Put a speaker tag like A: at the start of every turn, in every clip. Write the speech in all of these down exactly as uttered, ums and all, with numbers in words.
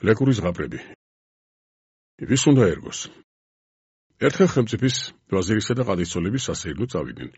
A: ლეკური ზღაპრები. ვის უნდა ერგოს? ერთხელ ხელმწიფის ვაზირისა და ყადისცოლების სასეირნო წავიდნენ.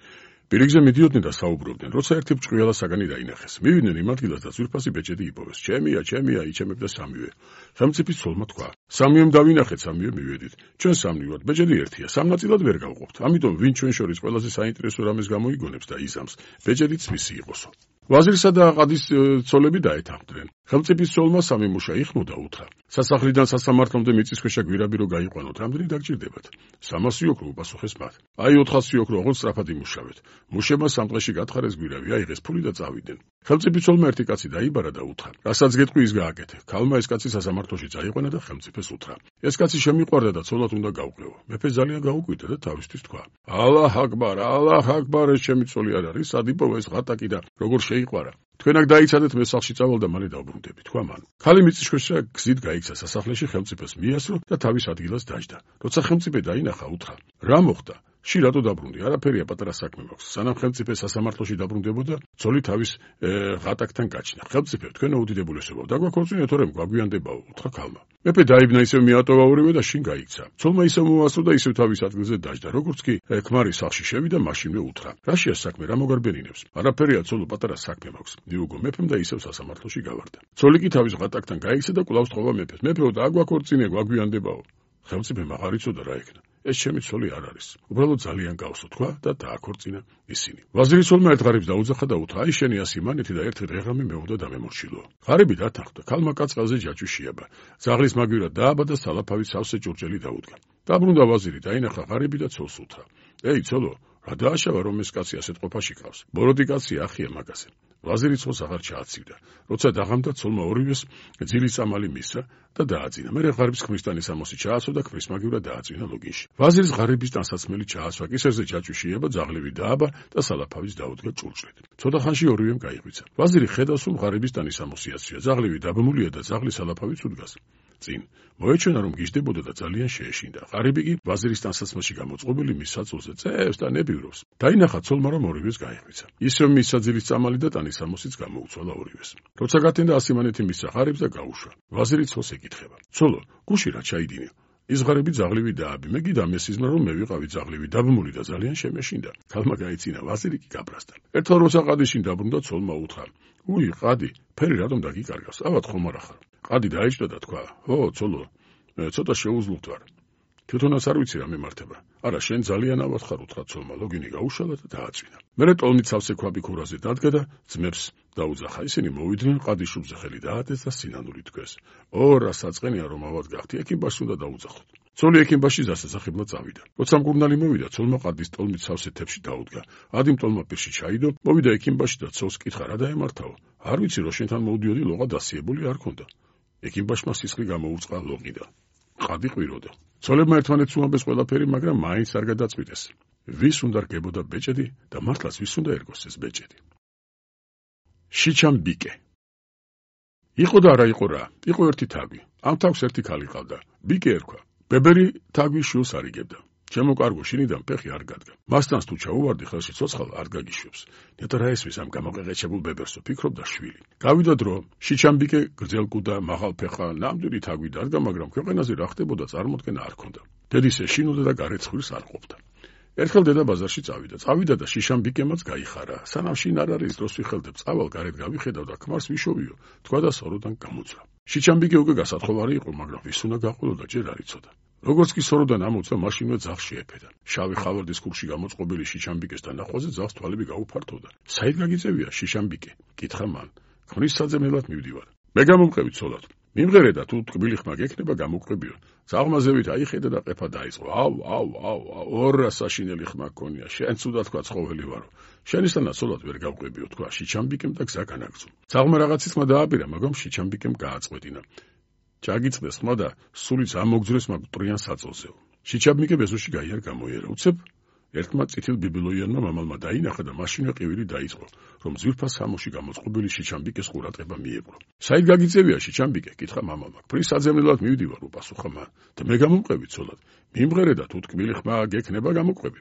A: პირიგზე მიდიოდნენ და საუბრობდნენ, როცა ერთი ბრჭყიალა საგანი დაინახეს. მივიდნენ იმ ადგილას და ძვირფასი ბეჭედი იპოვეს. ჩემია, ჩემია, იჩემებდა სამივე. ხელმწიფის ცოლმა თქვა: სამივემ დავინახეთ, სამივე მივედით. ჩვენ სამნი ვართ, ბეჭედი ერთია, სამ ნაწილად ვერ გავყოფთ. ამიტომ ვინ ჩვენ შორის ყველაზე საინტერესო რამეს გამოიგონებს და იზამს, ბეჭედიც მისი იყოსო. ვაზირსა და ყადისცოლები დაეთანხმდნენ. ხელმწიფის ცოლმა სამი მუშა იხმო და უთხრა: სასახლიდან სასამართლომდე მიწისქვეშა გვირაბი რო გაიყვანოთ, რამდენი დაგჭირდებათ? სამასი ოქრო უპასუხეს მათ. აი ოთხასი ოქრო, ოღონდ სწრაფად იმუშავეთ. მუშებმა სამ დღეში გათხარეს გვირაბი, აიღეს ფული და წავიდნენ. ხელმწიფის ცოლმა ერთი კაცი დაიბარა და უთხრა: რასაც გეტყვი ის გააკეთე. ქალმა ეს კაცი სასამართლოში წაიყვანა და ხელმწიფეს უთხრა: ეს კაცი შემიყვარდა და ცოლად უნდა გავყრეო. მეფე ძალიან გაუკვირდა და თავისთვის თქვა: ალლაჰ აკბარ, ალლაჰ აკბარ, ეს ჩემი ცოლი არ არის, სად იპოვა ეს ღატაკი და როგორ შეიყვარა. თქვენ აქ დაიცადეთ, მე სახლში წავალ და მალე დავბრუნდები, თქვა მან. ქალი მიწისქვეშა გზით გაიქცა სასახლეში, ხელმწიფეს მიასრო და თავის ადგილას დაჯდა. როცა ხელმწიფე დაინახა, უთხრა: რა მოხდა? ში რატო დაბრუნდი? არაფერია, პატარა საქმე მაქვს. სანამ ხელმწიფე სასამართლოში დაბრუნდებოდა, ცოლი თავის ღატაკთან გაჩნდა. ხელმწიფე, თქვენო უდიდებულესობა, დაგვაქორწინე, თორემ გვაგვიანდებაო, უთხრა ქალმა. მეფე დაიბნა, ისევ მიატოვა ორივე და შინ გაიქცა. ცოლმა ისევ მოასწრო და ისევ თავის ადგილზე დაჯდა. როგორც კი ქმარი სახლში შევიდა, მაშინვე უთხრა: რაშია საქმე, რა მოგარბენინებს? არაფერია, ცოლო, პატარა საქმე მაქვს. მიუგო მეფემ და ისევ სასამართლოში გავარდა. ცოლი კი თავის ღატაკთან გაიქცა და კვლავ სწხოვა მეფეს: მეფეო, დაგვაქორწინე, გვაგვიანდებაო. ხელმწიფე აღარ იცოდა რა ეკნა. ეს ჩემი ცოლი არ არის. უბრალოდ ძალიან გავსო, თქვა და დააქორწინა ისინი. ვაზირის ცოლმა ერთ ღარიბს დაუძახა და უთხრა: აი შენი ასი მანეთი და ერთი დღეღამი მეუღდა დამემორჩილო. ღარიბი დათანხმდა. ქალმა კაცყალზე ჯაჭვი შეაბა. ძაღლის მაგვირად დააბა და სალაფავით სავსე ჭურჭელი დაუდგა. დაბრუნდა ვაზირი, დაინახა ღარიბი და ცოლს უთხრა: ეი ცოლო, რა დააშავა რომ ეს კაცი ასეთ ყოფაში ყავს? ბოროტი კაცი ახია მაგაზე. ვაზირი ცოლს აღარ ჩააცივდა. როცა დაღამდა, ცოლმა ორივეს ძილის წამალი მისცა და დააძინა. მერე ღარიბს ქმრისთანი სამოსი ჩააცო და ქმრის მაგივრად დააწვინა ლოგინში. ვაზირის ღარიბის ტანსაცმელი ჩაასვა, კისერზე ჯაჭვი შეება, ძაღლები დააბა და სალაფავის დაუდგა ჭურჭლით. ცოტა ხანში ორივემ გაიღვიცა. ვაზირი ხედავს, რომ ღარიბის ტანი სამოსიაცია, ძაღლები დაბმულია და ძაღლის სალაფავიც უდგას. წინ მოეჩვენა, რომ გიждდებოდა და ძალიან შეეშინდა. ღარიბი კი ვაზირის ტანსაცმელში გამოწყობილი მის საწოლზე წევს და ნებივრობს. დაინახა ცოლმა, რომ ორივეს გაიღვიცა. ისევ მისცა ძილის წამალი და ტანის სამოსიც გამოუცვალა ორივეს. როცა გათენდა ასი მანეთი მისცა ღარიბს და გაუშვა. ვაზირი ცოლს ეკითხება: ცოლო, გუში რა ჩაიდინე? ის ღარიბი ძაღლივი დააბი. მე კი დამესიზმრა, რომ მე ვიყავი ძაღლივი, დაბმული და ძალიან შემეშინდა. ქალმა გაიცინა, ვაზირი კი გაბრაზდა. ერთხელ როცა ყადიშინ დაბრუნდა, ცოლმა უთხრა: უი, ყადი, ფერი რატომ დაგიკარგავს? ავად ხომ არ ახარ? ყადი დაიჭდა და თქვა: ო, ცოლო, ცოტა შეუძლურთ ვარ. თვითონაც არ ვიცი რა მემართება. არა, შენ ძალიან ავად ხარ, უთხრა ცოლმა, ლოგინი გაუშალა და დააწვინა. მერე ტოლმით სავსე ქვაბი ქურაზე დადგა და ძმებს დაუძახა. ისინი მოვიდნენ, ყადის შუბზე ხელი დაადეს და სინანული თქვეს. ო, რა საწყენია რომ ავად გახდი, ექიმბაშს უნდა დაუძახოთ. ცოლი ექიმბაში დასასახებლად წავიდა. როცა მკურნალი მოვიდა, ცოლმა ყადის ტოლმით სავსე თებში დაუდგა. ადიმ ტოლმა პირში ჩაიდო, მოვიდა ექიმბაში და ცოლს კითხა: რა დაემართაო? არ ვიცი, რომ შენთან მოვდიოდი, ლოყა დასიებული არ ქონდა. ექიმბაშმა სისხლი გამოუწყა ლოყიდან. ყადი ყვიროდა. ცოლებმა ერთმანეთს უამბეს ყველაფერი, მაგრამ მაინც არ გადაწყვიტეს. ვის უნდა რგებოდა ბეჭედი და მართლაც ვის უნდა ერგოს ეს ბეჭედი? შიჩამბიკე. იყო და არა იყო რა. იყო ერთი თაგვი. ამ თაგვს ერთი ქალი ყავდა. ბიკე ერქვა. ბებერი თაგვის შვილს არიგებდა. ჩემო კარგო, შინიდან ფეხი არ გადგა. მასთან თუ ჩაუვარდი, ხელში ცოცხალ არ გაგიშვებს. ნეტა რა ესმის ამ გამოყეყეჩებულ ბებერსო, ფიქრობდა შვილი. გავიდა დრო, შიჩამბიკე გრძელკუდა, მაღალფეხა, ნამდვილი თაგვი დადგა, მაგრამ ქვეყანაზე რა ხდებოდა წარმოდგენა არ ჰქონდა. დედის ეშინოდა და გარეცხვილს არ ყოფდა. ერთხელ დედა ბაზარში წავიდა. წავიდა და შიშამბიკემაც გაიხარა. სანამ შინ არ არის დროს ვიხელდებ, წავალ გარეთ გავიხედავ და ქმარს ვიშოვიო, თქვა და სოროდან გამოძრა. შიჩამბიკე უკვე გასათხოვარი იყო, მაგრამ ვის უნდა გაყოლოდა, ჯერ არ იცოდა. როგორც კი სოროდან ამოწვა, მაშინვე ძაღლს შეეფედა. შავი ხავარდის ქურში გამოწყობილი შიჩამბიკეს დანახვაზე ძაღლს თვალები გაუფართოვდა. საით გაგიწევია შიშამბიკე? კითხა მან. ქმრის საძებნელად მივდივარ. მე გამომყევი ცოლად. მიმღერე და თუ ტკბილი ხმა გექნება გამოყვებიო. ძაღლმა ზევით აიხედა და ყეფა დაიწყო. აუ, აუ, აუ, ორა საშინელი ხმა გქონია. შენ ცუდად თქვა ცხოველი ვარო. შენისთანაც ცოლად ვერ გავყვებიო, თქვა შიჩამბიკემ და გზა განაგრძო. ძაღლმა რაღაცის ხმა დააბირა, მაგრამ შიჩამბიკემ გააწყვეტინა. ჩაგიწდეს ხმა და სულიც ამოგძრეს მაგ მტრიან საწოლზეო. შიჩამბიკე ბეზოში გაიარ გამოიერა. უცებ ერთმა წითელ ბიბილოიანმა მამალმა დაინახა და მაშინვე ყივილი დაიწყო, რომ ძვირფას სამოში გამოწყობილი შიჩამბიკეს ყურადღება მიეპყრო. საით გაგიწევია შიჩამბიკე? კითხა მამალმა. ქმრის საძებნელად მივდივარ, უპასუხა მან. და მე გამომყევი ცოლად. მიმღერე და თუ ტკბილი ხმა გექნება გამოყვები.